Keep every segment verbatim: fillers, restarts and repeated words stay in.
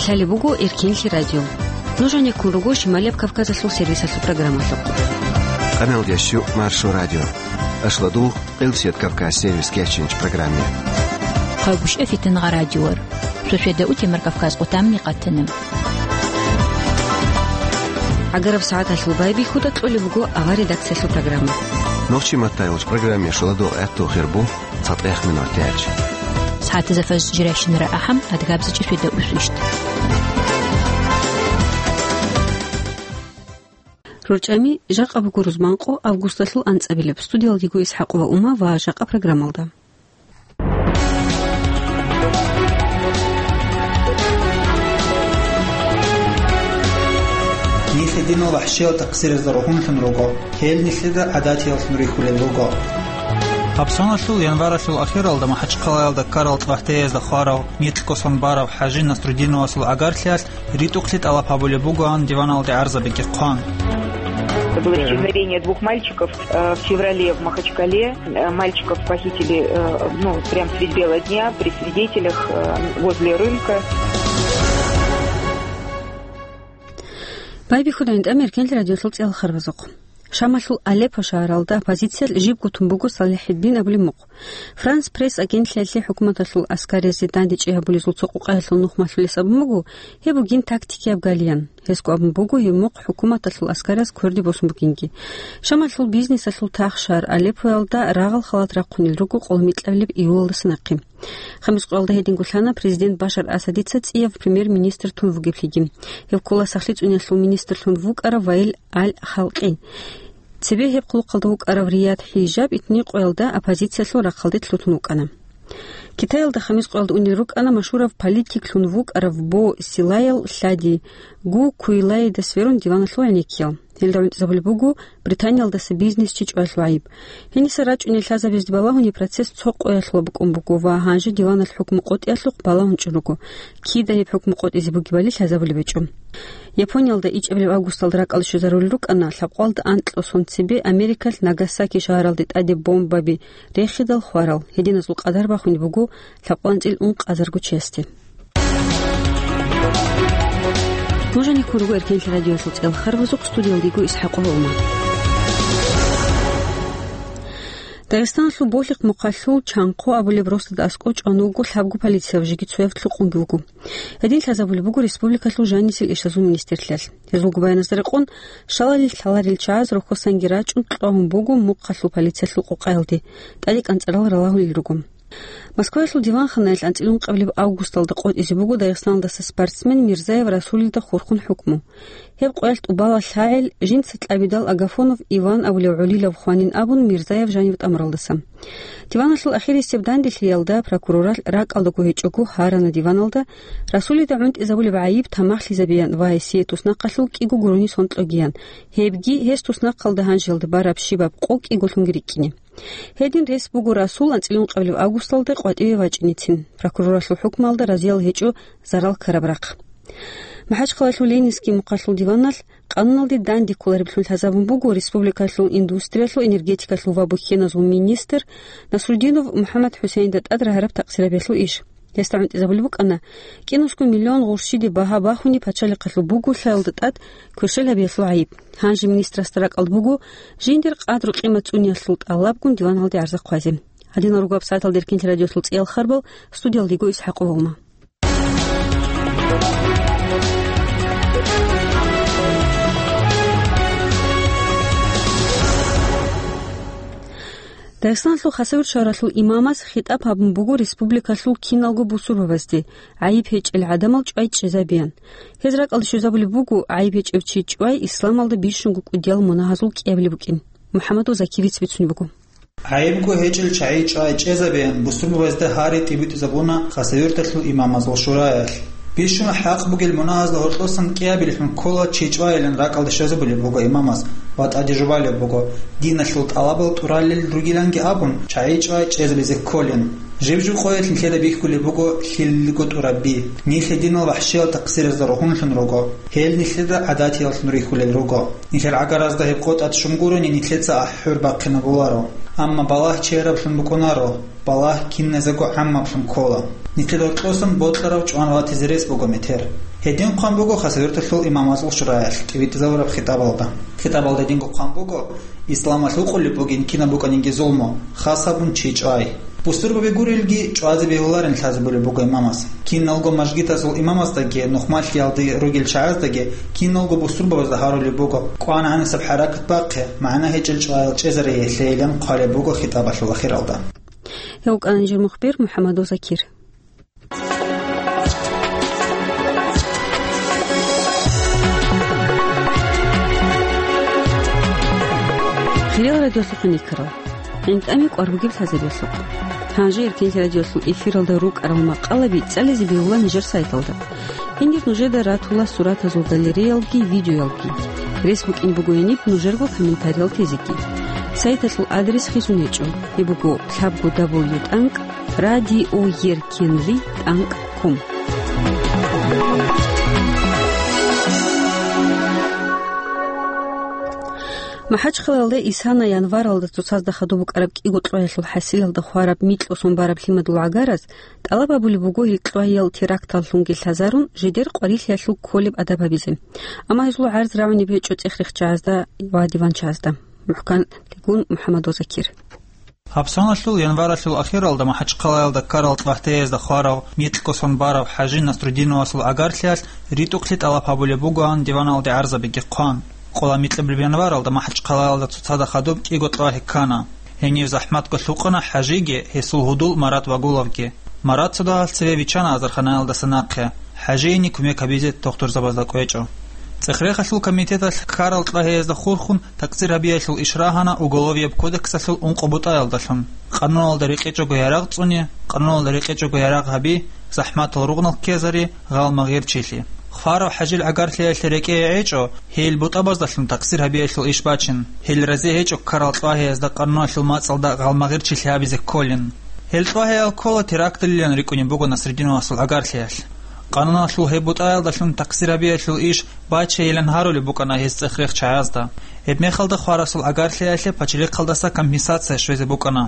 Лъалеб буго Эркенлъи радио. Нуж гьанеккун руго Шималияб Кавказалъул сервисалъул программалъухъ. Къаналдияс щу Маршо радио. Ашладугъ Къилсият Кавказ сервис кечинч программе. Хъагушев Фитнагъа радиор. Суседа утемар Кавказ къутамни къатана. ГӀагараб сагӀаталъул байбихьуда кьолеб буго авар редакциялъул программа. Нохчи маттайолч программе шуладугъ гӀатту хирбу. ЦатӀех минут тяч. СагӀатазда фаз жиращинара ахӀам, адгабзачӀи светда усвищт. РорчӀами, жакъа буго рузманкъо августалъул анцӀабилеб. Студиялдего ИсхӀакъова Ума ва жакъа программалда. Нилъ динал вахӀшиял тахсирезда рогьунлъун руго. Гьел нилъеда гӀадатияллъун рихьулел руго. Гьабсаналъул январалъул ахиралда МахӀачхъалаялда ккарал цӀвагьтеязда хварав, нилъ косун барав ХӀажи Насрудиновасул гӀагарлъиялъ ритӀухълъи тӀалаб гьабулеб бугоан диваналде гӀарзабиги хъван. Это было исчезновение двух мальчиков, э, в феврале в Махачкале. Э, мальчиков похитили, э, ну, прям средь бела дня, при свидетелях, э, возле рынка. Байбихьуда гьанже Эркенлъи радиолъул цӀел харбазухъ. Шамалъул Алеппо шагьаралда оппозициялъ жибго тун буго СалихӀиддин абулеб мухъ. Франс Пресс агентлъиялъе хӀукуматалъул аскариясе дандечӀи гьабулезул цо къукъаялъул нух малъулес абун буго, гьеб бугин тактикияб галиян. Гьесго абун буго, гьеб мухъ хӀукуматалъул аскарияс кверде босун бугинги. Шамалъул бизнесалъул тахшар Алеппоялда рагъал халат рахъунел руго къоло микьабилеб июлалдаса нахъе. Хамис къоялда гьединго лъана президент Башар Асадица цӀияб премьер-министр тун вугеблъиги. Гьев ккола сахлъи цӀуниялъул министрлъун вукӀарав Ваил Аль-Халкъи. Цебе гьеб хъулухъалда вукӀарав Рияд ХӀижаб итни къоялда оппозициялъул рахъалде лъутун вукӀана. Китаялда хамис къоялда унел рукӀана машгьурав политиклъун вукӀарав Бо Силаял лъади Гу Куйлайидас верун диваналъул гӀенеккиял. Гьелда гӀунтӀизабулеб буго Британиялдаса бизнесчи чӀваялъул гӀайиб. Гьениса рачӀунел лъазабизде балагьун гьеб процесс цо къоялъула букӀун буго ва гьанже диваналъ хӀукму къотӀиялъухъ балагьун чӀун руго. Кида гьеб хӀукму къотӀизе бугебали лъазабулеб гьечӀо. Япониялда ичӀабилеб августалда ракӀалде щвезарулел рукӀана лъабкъоялда анкьго сон цебе Америкалъ Нагасаки шагьаралде тӀаде бомбаби рехидал хварал. Гьединазул къадар бахунеб буго лъабкъоялда анцӀила ункъазарго чиясде. Нуж гьанеккун руго Эркенлъи радиоялъул цӀел харбазухъ, студиялдего ИсхӀакъова Ума. Дагъистаналъул Болъихъ мухъалъул Чанхъо абулеб росдада аскӀов чӀван вуго лъабго полицияб, жеги цояб лъукъунги вуго. Гьедин лъазабулеб буго республикалъул жанисел ишлазул министрлъиялъ. Гьезул губаяназда рекъон, шалалил лъаларел чагӀаз рохьосанги рачӀун кьвагьун буго мухъалъул полициялъул къукъаялде, тӀаде кӀанцӀарал ралагьулел руго. Москваялъул диванханаялъ анцӀила ункъабилеб августалда къотӀизе буго Дагъистаналдаса спортсмен Мирзаев Расулида хурхун хӀукму. Гьеб къоялъ тӀубала лъагӀел, жинца кьабидал Агафонов Иван абулев гӀолилав хванин абун, Мирзаев жанив тӀамуралдаса. Диваналъул ахирисеб данделъиялда прокуроралъ ракӀалдаго гьечӀого гьарана диваналда Расулида гӀунтӀизабулеб гӀайиб тамахлъизабеян ва гьесие туснахъалъув кӀиго гурони сон кьогеян, гьебги гьес туснахъалда гьанжелда бараб щибаб къо кӀиголъунги рикӀкӀине. Гьедин рес буго Расул анцӀила ункъабилеб августалда къватӀиве вачӀинецин, прокуроралъул хӀукмалда разиял гьечӀо зарал ккараб рахъ. МахӀачхъалаялъул Ленинский мухъалъул диваналъ къануналде данде кколареблъун лъазабун буго республикалъул индустриялъул, энергетикалъул ва бухьеназул министр Насрудинов МухӀаммад ХӀусейнда тӀад рагьараб такъсирабиялъул иш. Гьесда гӀунтӀизабулеб букӀана кӀинусго миллион гъурщиде багьа бахунеб пачалихъалъул бугулъаялда тӀад кверщел гьабиялъул гӀайиб. Гьанже министрасда ракӀалда буго жиндир къадру-къимат цӀуниялъул тӀалабгун диваналде гӀарза хъвазе. Гьадинал руго гьаб сагӀаталда Эркенлъи радиоялъул цӀиял харбал, студиялдего ИсхӀакъова Ума. Дагъистаналъул Хасавюрт шагьаралъул имамас хитӀаб гьабун буго республикалъул киналго бусурбабазде, гӀайиб гьечӀел гӀадамал чӀвай чӀезабеян. Гьез ракӀалде щвезабулеб буго, гӀайиб гьечӀев чи чӀвай исламалда бищунго кӀудиял мунагьазул кӀиабилеб букӀин. МухӀаммадул Закиевица бицунеб буго. ГӀайибго гьечӀел чагӀи чӀвай чӀезабеян бусурбабазда гьари тӀибитӀизабуна Хасавюрталъул имамазул шураялъ. Бищун хӀакъ бугел мунагьазда гьоркьосан кӀиабилеб лъун ккола чи чӀвайилан ракӀалде щвезабулеб буго имамас ва тӀаде жубалеб буго, диналъул тӀалабал тӀуралел ругиланги абун, чагӀи чӀвай чӀезабизе кколин. Жиб-жиб къоялъ нилъеда бихьулеб буго лъилго тӀураб би. Нилъ динал вахӀшиял такъсиразда рогьунлъун руго. Гьел нилъеда гӀадатияллъун рихьулел руго. Нилъер гӀагаразда гьеб къо тӀад щун гурони, нилъеца ахӀур бахъинабуларо. Амма балагь чераблъун букӀунаро, балагь киназего гӀаммаблъун ккола. Нилъер гьоркьосан бокьарав чӀван ратизе рес буго метер. Гьедин хъван буго Хасавюрталъул имамазул шураялъ тӀибитӀизабураб хитӀабалда. ХитӀабалда гьединго хъван буго: «Исламалъ гьукъулеб бугин кинаб букӀанинги зулму, хас гьабун чи чӀвай». Бусурбаби гурелги, чӀвазе бегьуларин лъазабулеб буго имамас. Киналго мажгитазул имамаздаги, нухмалъиялде ругел чагӀаздаги, киналго бусурбабазда гьарулеб буго: «КӀванагӀан гьесаб хӀаракат бахъе, магӀна гьечӀел чӀваял чӀезареялъейилан», хъвалеб буго хитӀабалъул ахиралда. Гьев вукӀана нижер мухбир МухӀаммадов Закир. Хириял радиолъухъ хъван йиккарал. ГӀинтӀаме кӀвар бугеб лъазабиялъухъ. Гьанже Эркенлъи радиолъул эфиралда рукӀарал макъалаби цӀализе бегьула нижер сайталда. Гьенир нужеда ратула суратазул галереялги, видеоялги. Рес букӀин буго гьениб нужерго комментариял тезеги. Сайталъул адрес хисун гьечӀо. Гьеб буго лъабго дабл ю тӀанкӀ радиоеркенлъи тӀанкӀ ком. МахӀачхъалаялда исана январалда цоцазда хадуб букӀараб кӀиго кьвагьалъул хӀасилалда хвараб микьго сон бараб лъимадул гӀагараз тӀалаб гьабулеб буго гьел кьвагьал теракталлъунги лъазарун жидер къварилъиялъул кколеб адаб гьабизе. Амма гьезул гӀарз рагӀунеб гьечӀо цӀех-рехчагӀазда ва диванчагӀазда. МухӀканлъигун МухӀаммадов Закир. Гьаб соналъул январалъул ахиралда МахӀачхъалаялда ккарал кьвагьтеязда хварав микьго сон барав ХӀажи Насрудиновасул гӀагарлъиялъ ритӀухълъи тӀалаб гьабулеб бугоан диваналде гӀарзабиги хъван. Къола микьабилеб январалда МахӀачхъалаялда цоцазда хадуб кӀиго кьвагьи ккана. Гьенив захӀматго лъукъана ХӀажиги гьесул гьудул Марат Вагуловги. Марат цо дагьалъ цеве виччана азарханаялдаса нахъе, ХӀажиени кумек гьабизе тухтурзабазда кӀвечӀо. ЦӀех-рехалъул комитеталъ ккарал кьвагьеязда хурхун такъсир гьабиялъул иш рагьана Уголовияб кодексалъул ункъо бутӀаялдалъун: къануналда рекъечӀого ярагъ цӀуни, къануналда рекъечӀого ярагъ гьаби, захӀматал ругънал ккезари, гъалмагъирчилъи. Хварав ХӀажил гӀагарлъиялъе рекӀее гӀечӀо, гьел бутӀабаздалъун такъсир гьабиялъул иш бачин. Гьел разе гьечӀо ккарал кьвагьеязда къануналъул мацӀалда гъалмагъирчилъи гьабизе кколин. Гьел кьвагьеял ккола теракталилан рикӀкӀунеб буго Насрудиновасул гӀагарлъиялъ. Къануналъул гьеб бутӀаялдалъун такъсир гьабиялъул иш бачейилан гьарулеб букӀана гьез цӀех-рехчагӀазда. Гьебмехалда хварасул гӀагарлъиялъе пачалихъалдаса компенсация щвезе букӀана.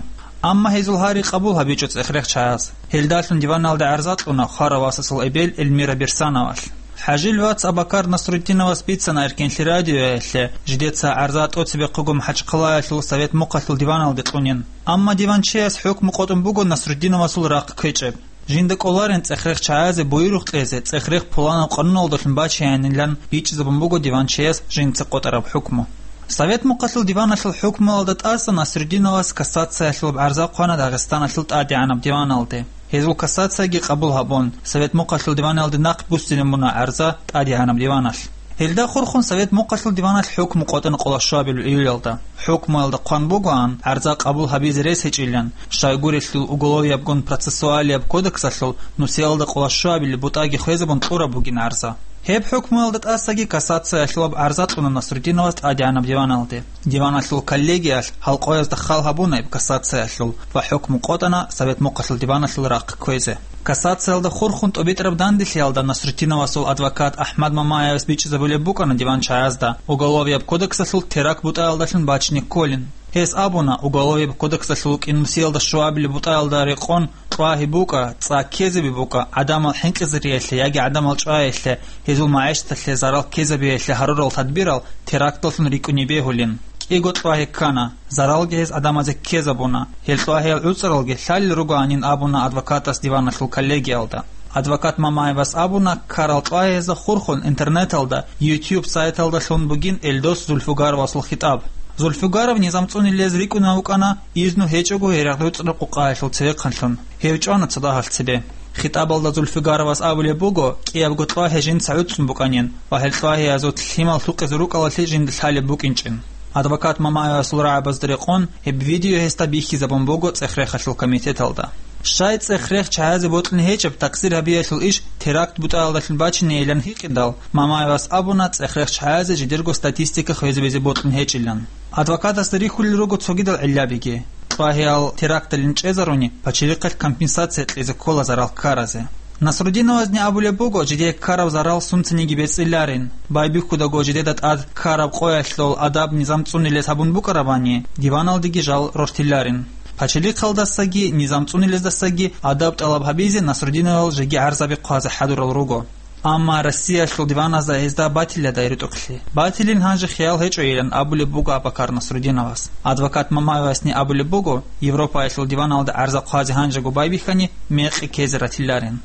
Амма гьезул гьари къабул гьабичӀо цӀех-рехчагӀаз. Гьелдалъун диваналде гӀарза кьуна хварав васасул эбел Эльмира Берсановалъ. ХӀажил вац Абакар Насрудиновас бицана Эркенлъи радиоялъе, жидеца гӀарза тӀоцебехъего МахӀачхъалаялъул Совет Мухъалъул диваналде кьунин. Амма диванчияс хӀукму къотӀун буго Насрудиновасул рахъ кквечӀеб. Жинда кӀоларин цӀех-рехчагӀазе буюрухъ кьезе, цӀех-рех пуланаб къануналдалъун бачеянилан бичӀчӀизабун буго диванчияс жинца къотӀараб хӀукму. Совет Мухъалъул диваналъул хӀукмуялда тӀаса Насрудиновас кассациялъулаб гӀарза хъвана Дагъистаналъул тӀадегӀанаб диваналде. Гьезул кассацияги къабул гьабун, Совет Мухъалъул диваналде нахъ буссинабуна гӀарза тӀадегӀанаб диваналъ. Гьелда хурхун Совет Мухъалъул диваналъ хӀукму къотӀана къоло щуабилеб июлалда. ХӀукмуялда хъван бугоан гӀарза къабул гьабизе рес гьечӀилан, щайгурелъул Уголовиябгун процессуалияб кодексалъул нусиялда къоло щуабилеб бутӀаги хвезабун кьураб бугин гӀарза. Гьеб хӀукмуялда тӀасаги кассациялъулаб гӀарза кьуна Насрудиновас тӀадегӀанаб диваналде. Диваналъул коллегиялъ гьалкъоязда хал гьабуна гьеб кассациялъул ва хӀукму къотӀана Совет Мухъалъул диваналъул рахъ кквезе. Кассациялда хурхун тӀобитӀараб данделъиялда Насрудиновасул адвокат АхӀмад Мамаевас бичӀчӀизабулеб букӀана диванчагӀазда Уголовияб кодексалъул теракт бутӀаялдалъун бачине кколин. Гьес абуна, Уголовияб кодексалъул кӀинусиялда щуабилеб бутӀаялда рекъон кьвагьи букӀа, цӀа ккезаби букӀа, гӀадамал хӀинкъизариялъе яги гӀадамал чӀваялъе, гьезул магӀишаталъе зарал ккезабиялъе гьарурал тадбирал теракталлъун рикӀкӀуне бегьулин. КӀиго кьвагьи ккана, заралги гьез гӀадамазе ккезабуна, гьел кьвагьиял гӀуцӀаралги лъалел ругоанин абуна адвокатас диваналъул коллегиялда. Адвокат Мамаевас абуна, ккарал кьвагьиязда хурхун интернеталда, YouTube сайталдалъун бугин Эльдос Зульфугаровасул хитӀаб. Зульфугаров низам цӀунилез рикӀкӀунев вукӀана изну гьечӀого гьерагъ-руцӀраб къукъаялъул цевехъанлъун. Гьев чӀвана цадахъалъ цебе. ХитӀабалда Зульфугаровас абулеб буго, кӀиябго кьвагьи жинца гӀуцӀун букӀанин ва гьел кьвагьиязул лъимал лъукъизе рукӀалалъе жинда лъалеб букӀинчӀин. Адвокат Мамаевасул рагӀабазда рекъон, гьеб видео гьесда бихьизабун буго цӀех-рехалъул комитеталда. Щай цӀех-рех чагӀазе бокьун гьечӀеб такъсир гьабиялъул иш теракт бутӀаялдалъун бачинейилан гьикъидал, Мамаевас абуна цӀех-рех чагӀазе жидерго статистика хвезабизе бокьун гьечӀилан. Адвокатасда рихьулел руго цогидал гӀиллабиги. Кьвагьиял теракталин чӀезаруни, пачалихъалъ компенсация кьезе ккола зарал ккаразе. Насрудиновазни абулеб буго, жидее ккараб зарал сунцаниги бецӀиларин, байбихьудаго жидеда тӀад ккараб къоялъул адаб низам цӀунилез гьабун букӀарабани, диваналдеги жал рортиларин. Пачалихъалдасаги низам цӀунилездасаги адаб тӀалаб гьабизе Насрудиновал жеги гӀарзаби хъвазе хӀадурал руго. Амма Россиялъул диваназда гьезда батиладай ритӀухълъи. Батилин гьанже хиял гьечӀойилан абулеб буго Абакар Насрудиновас. Адвокат Мамаевасни абулеб буго, Европаялъул диваналда гӀарза хъвазе гьанжего байбихьани, мекъи ккезе ратиларин.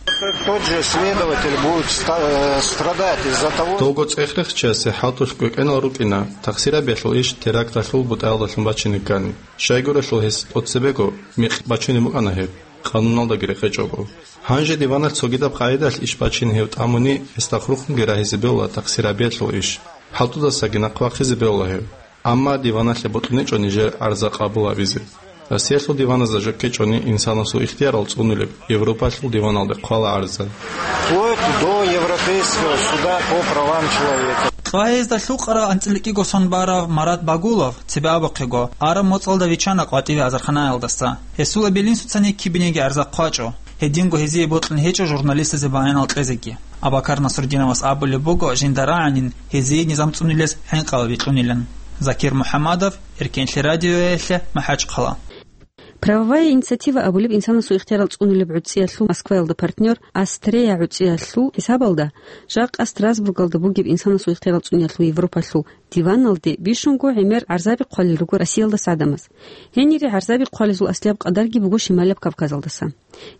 Тот же следователь будет ста-, э, страдать из-за того. Довго цӀех рехчасе хӀалтӀулъ кӀвекӀенал рукӀина, тахсир гьабиялъул иш теракталъул бутӀаялдалъун бачине ккани. Щайгурелъул гьес тӀоцебего мекъи бачунеб букӀана гьеб, къануналдаги рекъечӀого. Гьанже диваналъ цогидаб къагӀидалъ иш бачин гьев тӀамуни, гьесда хурхунги рагьизе бегьула тахсир гьабиялъул иш. ХӀалтӀудасаги нахъвахъизе бегьула гьев. Амма диваналъе бокьунечӀо нижер гӀарза къабул гьабизе. Россиялъул диваназда жо ккечӀони инсанасул ихтиярал цӀунулеб, Европалъул диваналде хъвала гӀарза. Вплоть до Европейского суда по правам человека. Къагьизда лъукъарал анцӀила кӀиго сон барав Марат Багулов, цебе абухъего, араб моцӀалда виччана къватӀиве азарханаялдаса. Гьесул эбел-инсуцани кибинеги гӀарза хъвачӀо. Гьединго гьезие бокьун гьечӀо журналистазе баянал кьезеги. Абакар Насрудиновас абулеб буго жинда рагӀанин гьезие низам цӀунилез хӀинкъал бикьунилан. Закир МухӀаммадов, Эркенлъи радиоялъе, МахӀачхъала. Правовая инициатива абулеб инсанасул ихтиярал цӀунулеб гӀуцӀиялъул Москваялда партнер Астрея гӀуцӀиялъул хӀисабалда, жакъа Страсбургалда бугеб инсанасул ихтиярал цӀуниялъул Европалъул диваналде бищунго гӀемер гӀарзаби хъвалел руго Россиялдаса гӀадамаз. Гьенире гӀарзаби хъвалезул аслияб къадарги буго Шималаб Кавказалдаса.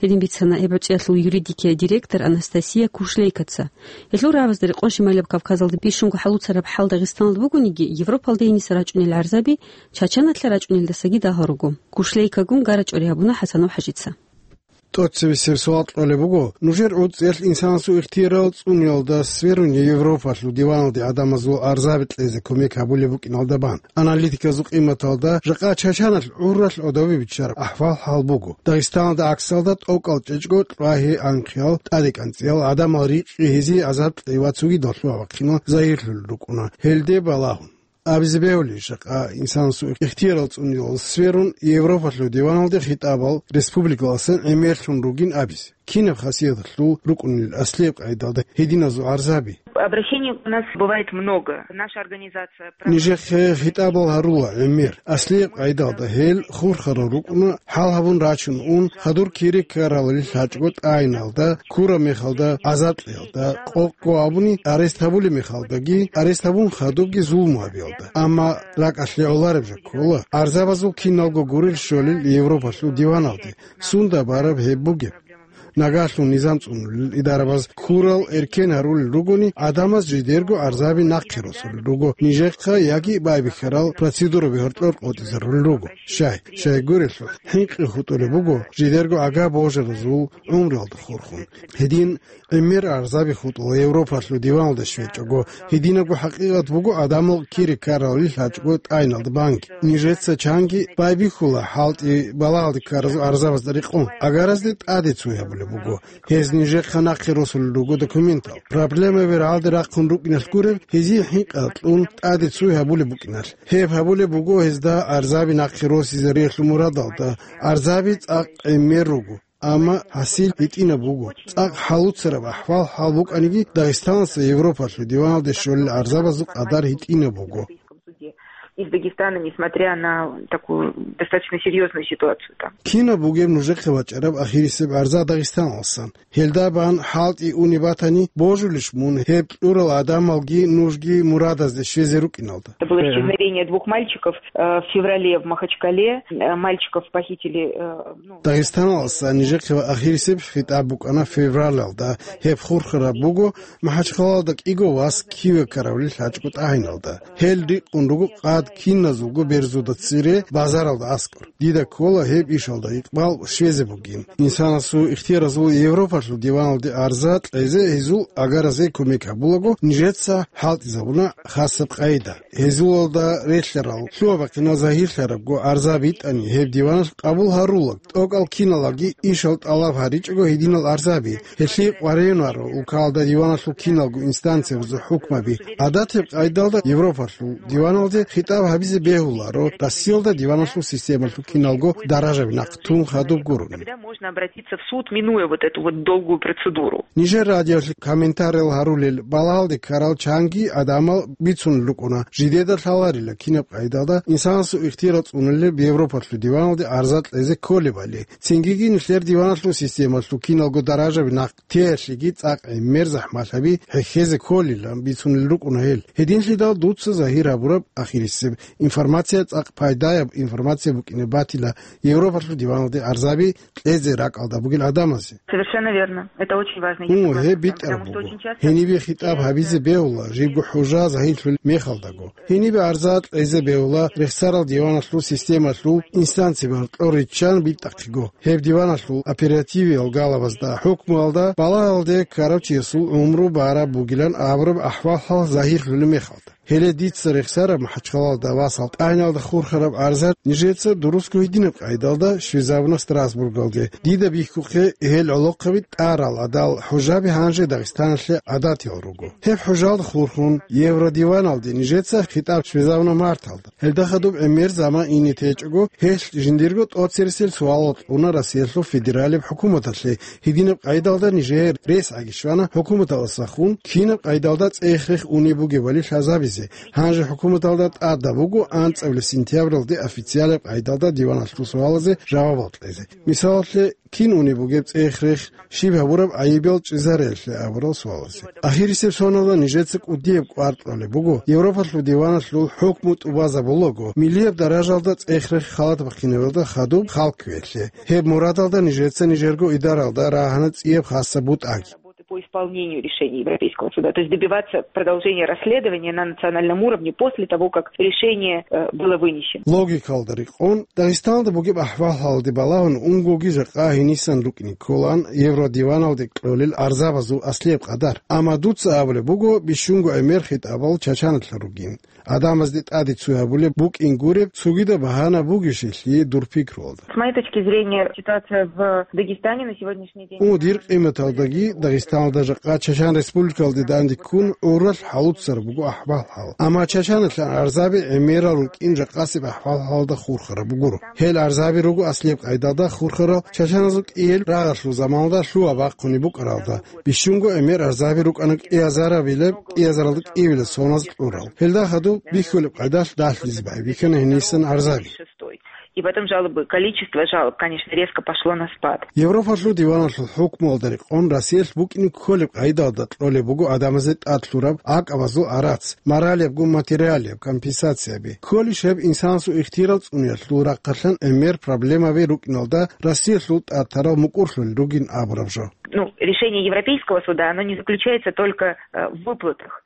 Гьедин бицана гьеб гӀуцӀиялъул юридикияй директор Анастасия Кушлейкаца. Гьелъул рагӀабазда рекъон Шималаб Кавказалда бищунго хӀалуцараб хӀал Дагъистаналда бугониги, Европалда гьениса рачӀунел гӀарзаби Чачаналъа рачӀунелдасаги дагьал руго. Кушлейкагун гарачӀори гьабуна ХӀасанов ХӀажица. ТӀоцебесеб суал кьолеб буго, нужер гӀуцӀиялъ инсанасул ихтиярал цӀуниялда сверун Европалъул диваналде гӀадамазул гӀарзаби кьезе кумек гьабулеб букӀиналда бан. Аналитиказул къиматалда, жакъа Чачаналъ гӀурралъ гӀодобе биччараб ахӀвал-хӀал буго. Дагъистаналда гӀаксалда тӀокӀал чӀечӀго кьвагьи-анхъиял, тӀаде-кӀанцӀиял, гӀадамал рикъи гьезие гӀазаб кьей ва цогидал лъугьа-бахъинал загьирлъулел рукӀуна гьелде балагьун. Абизе бегьулищ, жакъа инсанасул ихтиярал цӀуниялда сверун Европалъул диваналде хитӀабал республикаласан гӀемерлъун ругин абизе? Кинаб хасияталъул рукӀунел аслияб къайдалда гьединазул гӀарзаби? Обращений у нас бывает много. Наша организация проводит... Нижехъе хитӀабал гьарула гӀемер. Аслияб къайдалда гьел хурхарал рукӀуна, хӀал гьабун рачун ун, хадур кири ккаралил лъачӀого тӀагӀиналда, ккураб мехалда, гӀазаб кьеялда, къокъго абуни арест гьабулеб мехалдаги, арест гьабун хадубги зулму гьабиялда. Амма ракӀалъе гӀолареб жо ккола, гӀарзабазул киналго гурел щолел Европалъул диваналде. Сунда бараб гьеб бугеб? Нагагьлъун низам цӀунулел идарабаз ккурал эркен гьарулел ругони, гӀадамаз жидерго гӀарзаби нахъе росулел руго нижехъа яги байбихьарал процедураби гьоркьор къотӀизарулел руго. Щай, щайгурелъул, хӀинкъи хутӀулеб буго жидерго гӀага божаразул гӀумруялда хурхун. Гьедин гӀемер гӀарзаби хутӀула Европалъул диваналде щвечӀого, гьединабго хӀакъикъат буго гӀадамал кири ккаралил лъачӀого тӀагӀиналда банги. Нижеца чанги байбихьула хӀалтӀи балагьалде ккаразул гӀарзабазда рекъон. Агаразде тӀаде цой гьабулеб буго. Гьез нижехъа нахъе росулел руго документал. Проблемаби рагӀалде рахъун рукӀиналъ гуреб, гьезие хӀинкъа кьун тӀаде цой гьабулеб букӀиналъ. Гьеб гьабулеб буго гьезда гӀарзаби нахъе росизариялъул мурадалда. ГӀарзаби цӀакъ гӀемер руго. Амма гьасил гьитӀинаб буго. ЦӀакъ хӀалуцараб ахӀвал-хӀал букӀаниги, Дагъистаналъа Европалъул диваналде щолел гӀарзабазул къадар гьитӀинаб буго. Из Дагестана, несмотря на такую достаточно серьёзную ситуацию там. Кинаб бугеб нужехъе бачӀараб ахирисеб гӀарза Дагъистаналсан? Гьелда бан хӀалтӀи уни батани, божулищ мун гьеб кьурал гӀадамалги нужги мурадазде щвезе рукӀиналда? Это было исчезновение двух мальчиков, э, в феврале в Махачкале. Э, мальчиков похитили, э, ну... Дагъистаналса нижехъе ва ахирисеб хитӀаб букӀана февралалда. Гьеб хурхараб буго МахӀачхъалалда кӀиго вас киве ккаравлил лъачӀого тӀагӀиналда. Гьел рикъун руго къад киназулго берзуда цере базаралда аскӀор. Дида ккола гьеб ишалда икъбал щвезе бугин. Инсанасул ихтияразул Европалъул диваналде гӀарза кьезе гьезул агаразе кумек гьабулаго, нижеца хӀалтӀизабуна хасаб къайда. Гьезулалда релълъарал лъугьа-бахъинал загьирлъарабго гӀарза битӀани, гьеб диваналъ къабул гьарулаг, тӀокӀал киналаги ишал тӀалаб гьаричӀого гьединал гӀарзаби. Гьелъие къваригӀунаро улкалда диваналъул киналго инстанциябазул хӀукмаби. ГӀадатаб къайдалда Европалъул диваналде хитӀаб гьитӀинаб гьабизе бегьуларо Россиялда диваналъул системалъул киналго даражаби нахъ тун хадуб гурони. Когда можно обратиться в суд, минуя вот эту вот долгую процедуру? Нижер радиолъе комментариял гьарулел балагьалде ккарал чанги гӀадамал бицунел рукӀуна, жидеда лъаларила кинаб къайдалда инсанасул ихтияр цӀунулеб Европалъул диваналде арза кьезе кколебали. Цингиги нилъер диваналъул системалъул киналго даражаби нахъ теялъеги цӀакъ гӀемер захӀмалъаби хӀехьезе кколилан бицунел рукӀуна гьел. Гьединлъидал дуца загьир гьабураб ахирисеб информация цӀакъ пайдаяб информация букӀине батила Европалъул диваналде арзаби кьезе ракӀалда бугел гӀадамазе. Совершенно верно. Это очень важно. Гьу, гьеб битӀараб буго. Гьенибе хитӀаб гьабизе бегьула, жибго хӀужа загьирлъул мехалдаго. Гьенибе арза кьезе бегьула рехсарал диваналъул системалъул инстанцияб гьоркьор риччан битӀахъего. Гьеб диваналъул оперативиял галабазда, хӀукмуялда балагьалде ккарав чиясул гӀумру бараб бугилан абураб ахӀвал-хӀал загьирлъулеб мехалда. Гьеле дица рехсараб МахӀачхъалалда ва СалтӀайналда хурхараб арза нижеца дурусго гьединаб къайдалда щвезабуна Страсбургалде. Дида бихьухъе гьел гӀолохъаби тӀарал гӀадал хӀужаби гьанже Дагъистаналъе гӀадатиял руго. Гьеб хӀужалда хурхун, Евродиваналде нижеца хитӀаб щвезабуна марталда. Гьелда хадуб гӀемер заман ине течӀого, гьелъ жиндирго тӀоцересел суалал кьуна Россиялъул федералияб хӀукуматалъе, гьединаб къайдалда нижее рес гӀаги щвана хӀукуматалдасахун, кинаб къайдалда цӀех-рех унеб бугебали лъазабизе. Гьанже хӀукуматалда тӀадаб буго анцӀабилеб сентябралде официалаб къайдалда диваналъул суалазе жавабал кьезе. Мисалалъе, кин унеб бугеб цӀех-рех, щиб гьабураб гӀайибал чӀезареялъе абурал суалазе. Ахирисеб соналда нижеца кӀудияб кӀвар кьолеб буго, Европалъул диваналъул хӀукму тӀубазабулаго, миллияб даражалда цӀех-рех халат бахъинабиялда хадуб хал кквеялъе. Гьеб мурадалда нижеца нижерго идаралда рагьана цӀияб хасаб бутӀаги. Работы по исполнению решений Европейского суда, то есть добиваться продолжения расследования на национальном уровне после того, как решение, э, было вынесено. Логикалда рекъон, Дагъистаналда бугеб ахӀвал-хӀалалде балагьун унгоги жакъа гьенисан рукӀине кколаан Евродиваналде кьолел арзабазул аслияб къадар. Амма дуца абулеб буго, бищунго гӀемер хитӀабал Чачаналъа ругин. Адамазде тӀаде цо гьабулеб букӀин гуреб цогидаб багьана бугищелъи дур пикруялда. С моей точки зрения, ситуация в Дагестане на сегодняшний день... О, дир къиматалдаги Дагъистаналда жакъа Чачан Республикалде данде ккун гӀуралъ хӀалуццараб буго ахӀвал-хӀал. Амма Чачаналъан арзаби гӀемерал рукӀин жакъасеб ахӀвал-хӀалалда хурхараб бугуро. Гьел арзаби руго аслияб къайдалда хурхарал чачаназул кӀияб рагъалъул заманалда лъугьа-бахъунеб букӀаралда, бищунго гӀемер арзаби рукӀана кӀиазарабилеб, кӀиазаралда кӀиябилеб соназ кьурал. Гьелда хадуб бихьулеб къайдалъ далъизе байбихьана гьенисан арзаби. И потом жалобы, количество жалоб, конечно, резко пошло на спад. Европалъул диваналъул хӀукмуялда рекъон Россиялъ букӀине кколеб къайдалда кьолеб буго адамазе тӀад лъураб гӀакъабазул арац, моралиябго материалияб компенсацияби. Кколищ гьеб инсанасул ихтияр цӀуниялъул рахъалъан гӀемер проблемаби рукӀиналда Россиялъул тӀад тарал мукӀурлъулел ругин абураб жо. Ну, решение Европейского суда, оно не заключается только, э, в выплатах.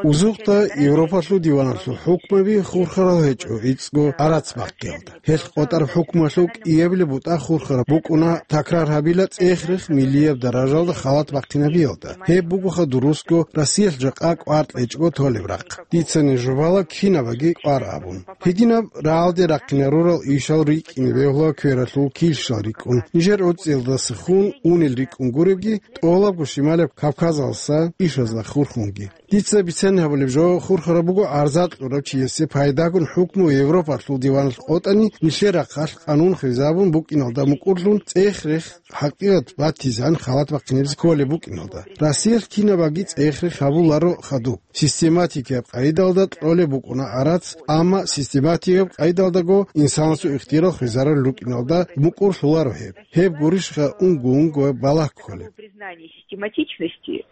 Узухъда Европалъул диваналъул хӀукмаби хурхарал гьечӀо гӀицӀго арац бахъиялда. Гьелъ къотӀараб хӀукмуялъул кӀиябилеб бутӀа хурхараб букӀуна такрар гьабила цӀех-рех миллияб даражалда халат бахъинабиялда. Гьеб бугоха дурусго Россиялъ жакъа кӀвар кьечӀого толеб рахъ. Дица ниж жубала кинабаги кӀвар абун. Гьединаб рагӀалде рахъинарурал ишал рикӀкӀине бегьула квералъул килщал рикӀкӀун, нижер гӀуцӀиялдасахун унел рикӀкӀун гуребги, тӀолабго Шималаб Кавказалса ишазда хурхунги. Дица бицен гьабулеб жо, хурхараб буго арза кьурав чиясе пайдагун хӀукму Европалъул диваналъ къотӀани, нилъер рахъалъ къанун хвезабун букӀиналда мукӀурлъун цӀех-рех хӀакъикъат батизан халат бахъинабизе кколеб букӀиналда. Россиялъ кинабаги цӀех-рех гьабуларо хадуб. Систематикияб къайдалда кьолеб букӀуна арац, амма систематикияб къайдалдаго инсанасул ихтияр хвезарулел рукӀиналда мукӀурлъуларо гьеб. Гьеб гурищха унго-унго балагь кколеб. Признание систематичности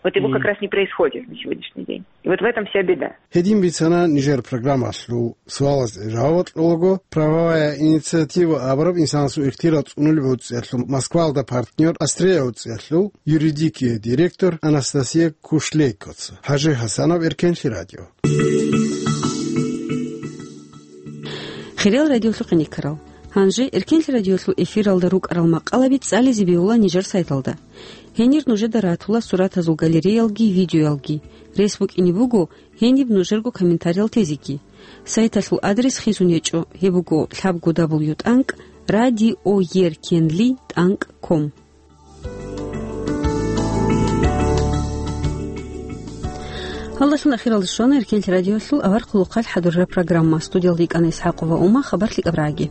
Вот его как раз не происходит на сегодняшний день. И вот в этом вся беда. Гьедин бицана нижер программалъул суалазде жаваб кьолаго, «Правовая инициатива» абураб инсанасул ихтияр цӀунулеб гӀуцӀиялъул Москвалда партнер «Острие» гӀуцӀиялъул юридикияй директор Анастасия Кушлейкоца. ХӀажи ХӀасанов, Эркенлъи радио. Хириял радиолъухъе никарал. Гьанже Эркенлъи радиолъул эфиралда рукӀарал макъалаби цӀализе бегьула нижер сайталда. Гьенир нужеда ратула суратазул галереялги видеоялги. Рес букӀине буго гьениб нужерго комментариял тезеги. Сайталъул адрес хизун гьечӀо, гьеб буго лъабго дабл ю тӀанкӀ радио еркенли тӀанкӀ ком. Гьалдалъун ахиралде щвана Эркенлъи радиоялъул авар хъулухъалъ хӀадурараб программа. Студиялда йикӀана ИсхӀакъова Ума, хабар лъикӀаб рагӀаги.